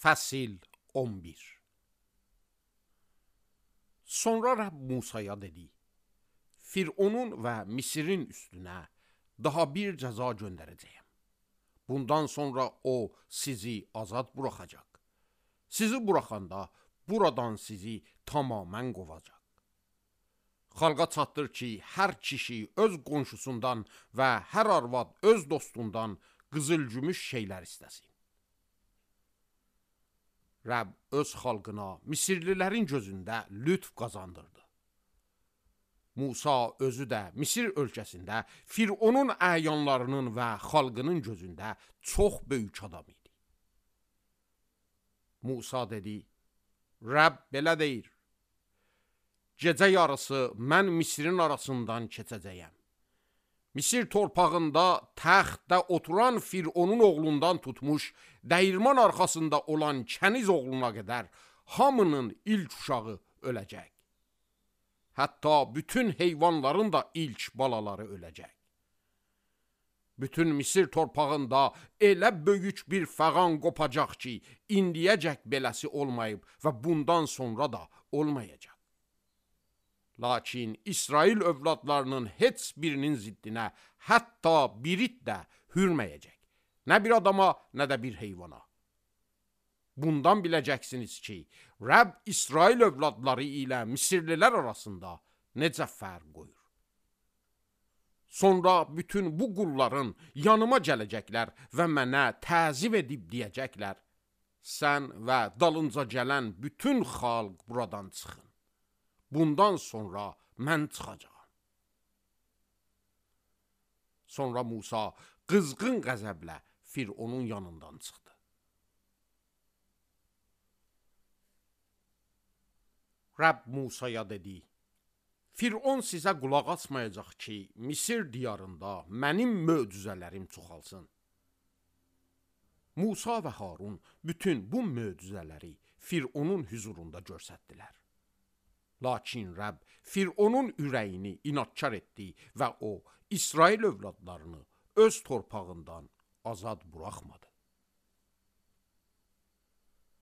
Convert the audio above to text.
Fəsil 11. Sonra Rəbb Musaya dedi: Fironun və Misirin üstünə daha bir cəza göndərəcəyəm. Bundan sonra o sizi azad buraxacaq. Sizi buraxanda buradan sizi tamamən qovacaq. Xalqa çatdır ki, hər kişi öz qonşusundan və hər arvad öz dostundan qızıl-gümüş şeylər istəsin. Rəbb öz xalqına Misirlilərin gözündə lütf qazandırdı. Musa özü də Misir ölkəsində Fironun əyanlarının və xalqının gözündə çox böyük adam idi. Musa dedi: Rəbb belə deyir: Gecə yarısı mən Misirin arasından keçəcəyəm. Misir torpağında təxtdə oturan Fironun oğlundan tutmuş, dəyirman arxasında olan kəniz oğluna qədər hamının ilk uşağı öləcək. Hətta bütün heyvanların da ilk balaları öləcək. Bütün Misir torpağında elə böyük bir fəğan qopacaq ki, indiyəcək beləsi olmayıb və bundan sonra da olmayacaq. Lakin İsrail övladlarının heç birinin ziddinə hətta birit də hürməyəcək. Nə bir adama, nə də bir heyvana. Bundan biləcəksiniz ki, Rəbb İsrail övladları ilə Misirlilər arasında necə fərq qoyur. Sonra bütün bu qulların yanıma gələcəklər və mənə təzim edib deyəcəklər: Sən və dalınca gələn bütün xalq buradan çıxın. Bundan sonra mən çıxacağam. Sonra Musa qızğın qəzəblə Fironun yanından çıxdı. Rəbb Musaya dedi: Firon sizə qulaq asmayacaq ki, Misir diyarında mənim möcüzələrim çoxalsın. Musa və Harun bütün bu möcüzələri Fironun hüzurunda göstərdilər. Lakin Rəbb Fironun ürəyini inadkar etdi və o İsrail övladlarını öz torpağından azad buraxmadı.